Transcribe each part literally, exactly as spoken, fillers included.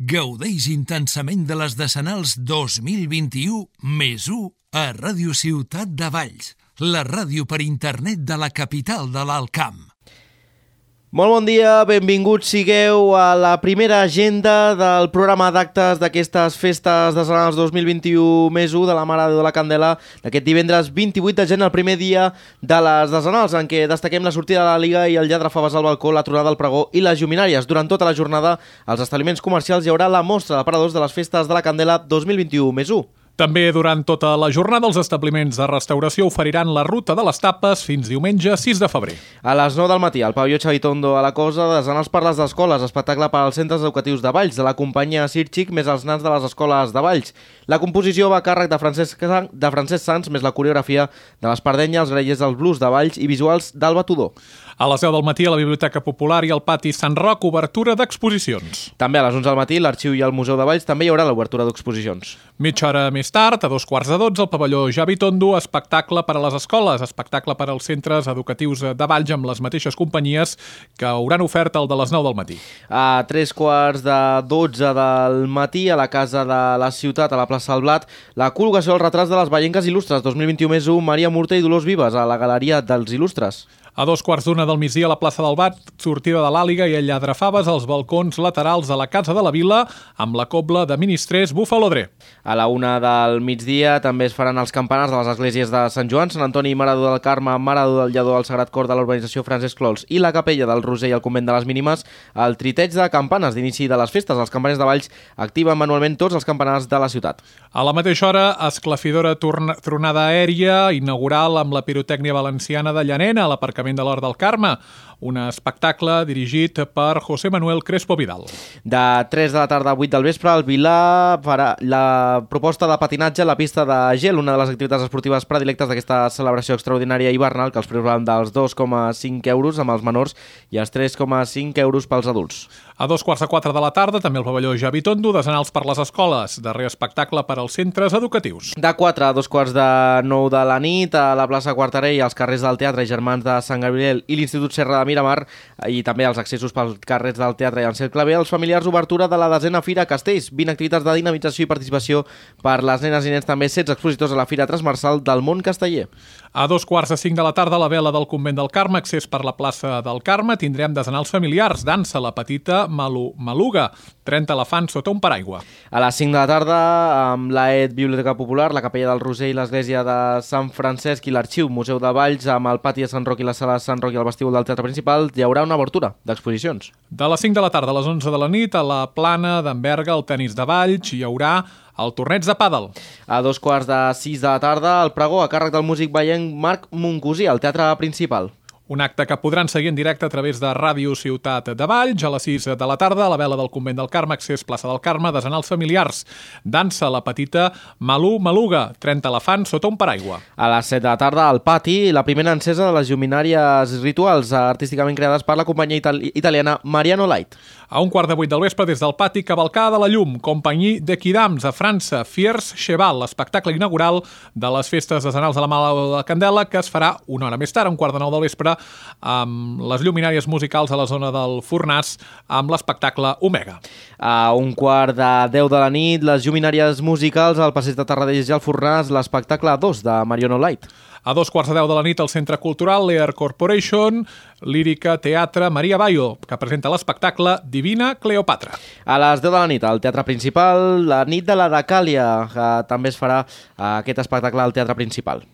Gaudeix intensament de les Decenals dos mil vint-i-u més u a Ràdio Ciutat de Valls, la ràdio per internet de la capital de l'Alt Camp. Molt bon dia, benvinguts sigueu a la primera agenda del programa d'actes d'aquestes festes decenals dos mil vint-i-u més u de la Mare de Déu de la Candela d'aquest divendres vint-i-vuit de gener, el primer dia de les decenals, en què destaquem la sortida de la Liga i el lladre faves al balcó, la tronada del pregó i les lluminàries. Durant tota la jornada, als establiments comercials hi haurà la mostra d'aparadors de les festes de la Candela dos mil vint-i-u més u. També durant tota la jornada els establiments de restauració oferiran la ruta de les tapes fins diumenge sis de febrer. A les nou del matí, al pavelló Xavitondo a la Cosa, desenals per les escoles, espectacle per als centres educatius de Valls, de la companyia Sirxic més els nans de les escoles de Valls. La composició va a càrrec de Francesc, de Francesc Sans, més la coreografia de l'Espardenya, els grellers dels blues de Valls i visuals d'Alba Tudó. A les deu del matí, a la Biblioteca Popular i al pati Sant Roc, obertura d'exposicions. També a les onze del matí, l'Arxiu i el Museu de Valls també hi haurà l'obertura d'exposicions. Mitja hora més tard, a dos quarts de dotze, al pavelló Xavitondo, espectacle per a les escoles, espectacle per als centres educatius de Valls amb les mateixes companyies que hauran oferta el de les nou del matí. A tres quarts de dotze del matí, a la Casa de la Ciutat, a la plaça del Blat, la col·locació dels retrats de les Vallenques Il·lustres dos mil vint-i-u més u, Maria Murta i Dolors Vives, a la Galeria dels Il·lustres. A dos quarts d'una del migdia a la plaça del Bat, sortida de l'Àliga i el lladre faves als balcons laterals de la Casa de la Vila amb la cobla de ministrers Bufalodré. A la una del migdia també es faran els campanars de les esglésies de Sant Joan, Sant Antoni, Mare del Carme, Mare del Lledó, el Sagrat Cor de l'urbanització Francesc Clols i la capella del Roser i el convent de les Mínimes, el triteig de campanes d'inici de les festes. Els campaners de Valls activen manualment tots els campanars de la ciutat. A la mateixa hora, esclafidora tronada aèria inaugural amb la pirotècnia valenciana de Llanena a l'aparcament de l'Hort del Carme, un espectacle dirigit per José Manuel Crespo Vidal. De tres de la tarda a vuit del vespre, el Vilà farà la proposta de patinatge a la pista de gel, una de les activitats esportives predilectes d'aquesta celebració extraordinària hivernal, que els preus van dels dos coma cinc euros amb els menors i els tres coma cinc euros pels adults. A dos quarts de quatre de la tarda, també al pavelló Xavitondo, desenals per les escoles, darrer espectacle per als centres educatius. De quatre a dos quarts de nou de la nit, a la plaça Quarterell, als carrers del Teatre Germans de Sant Gabriel i l'Institut Serra de Miramar, i també els accessos pels carrers del Teatre i Ansel Clavé, els familiars, obertura de la desena Fira Castells, vint activitats de dinamització i participació per les nenes i nens, també setze expositors a la Fira Transversal del Món Casteller. A dos quarts de cinc de la tarda, a la vela del convent del Carme, accés per la plaça del Carme, tindrem desenals familiars, dansa la petita Malu Maluga, trenta elefants sota un paraigua. A les cinc de la tarda, amb l'A E D Biblioteca Popular, la capella del Roser i l'església de Sant Francesc i l'Arxiu Museu de Valls, amb el pati de Sant Roc i la sala de Sant Roc i el vestíbul del Teatre Principal, hi haurà una obertura d'exposicions. De les cinc de la tarda a les onze de la nit, a la Plana d'en Berga, al tenis de Valls, hi haurà el torneig de pàdel. A dos quarts de sis de la tarda, el pregó a càrrec del músic vallenc Marc Moncosí, al Teatre Principal. Un acte que podran seguir en directe a través de Ràdio Ciutat de Valls. A les sis de la tarda, a la vela del convent del Carme, accés plaça del Carme, desenals familiars. Dansa la petita Malu Maluga, trenta elefants sota un paraigua. A les set de la tarda, al pati, la primera encesa de les lluminàries rituals artísticament creades per la companyia itali- italiana Mariano Light. A un quart de vuit del vespre, des del pati, cavalcada de la llum, companyia de Quidams, a França, Fiers Cheval, l'espectacle inaugural de les festes decenals de la Mare de la Candela, que es farà una hora més tard, a un quart de nou del vespre, amb les lluminàries musicals a la zona del Fornàs, amb l'espectacle Omega. A un quart de deu de la nit, les lluminàries musicals al Passeig de Tarradellas i al Fornàs, l'espectacle dos de Mariano Light. A dos quarts de deu de la nit, al Centre Cultural Lear Corporation, lírica, teatre, Maria Bayo, que presenta l'espectacle Divina Cleopatra. A les deu de la nit, al Teatre Principal, la nit de la Dacàlia, que també es farà aquest espectacle al Teatre Principal.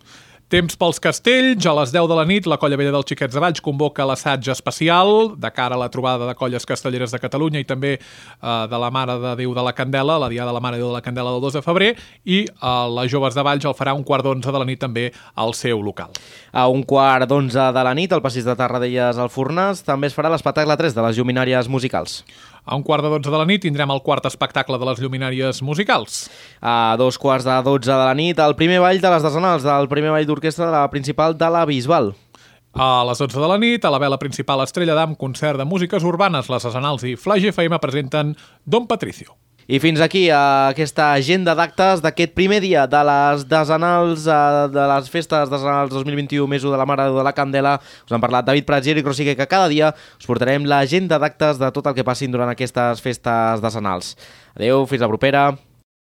Temps pels castells. A les deu de la nit, la Colla Vella dels Xiquets de Valls convoca l'assaig especial de cara a la trobada de colles castelleres de Catalunya i també eh, de la Mare de Déu de la Candela, la Diada de la Mare de Déu de la Candela del dos de febrer, i eh, les joves de Valls el farà un quart d'onze de la nit també al seu local. A un quart d'onze de la nit, al Passeig de Tarradellas al Fornàs, també es farà l'espectacle tres de les lluminàries musicals. A un quart de dotze de la nit tindrem el quart espectacle de les lluminàries musicals. A dos quarts de dotze de la nit, el primer ball de les decenals, el primer ball d'orquestra de la principal de la Bisbal. A les dotze de la nit, a la vela principal Estrella d'Am, concert de músiques urbanes, les decenals i Flaix F M presenten Don Patricio. I fins aquí aquesta agenda d'actes d'aquest primer dia de les desenals, de les festes desenals dos mil vint-i-u, més u de la Mare de la Candela. Us han parlat David Prats i Eric Rosique, que cada dia us portarem l'agenda d'actes de tot el que passin durant aquestes festes desenals. Adéu, fins la propera.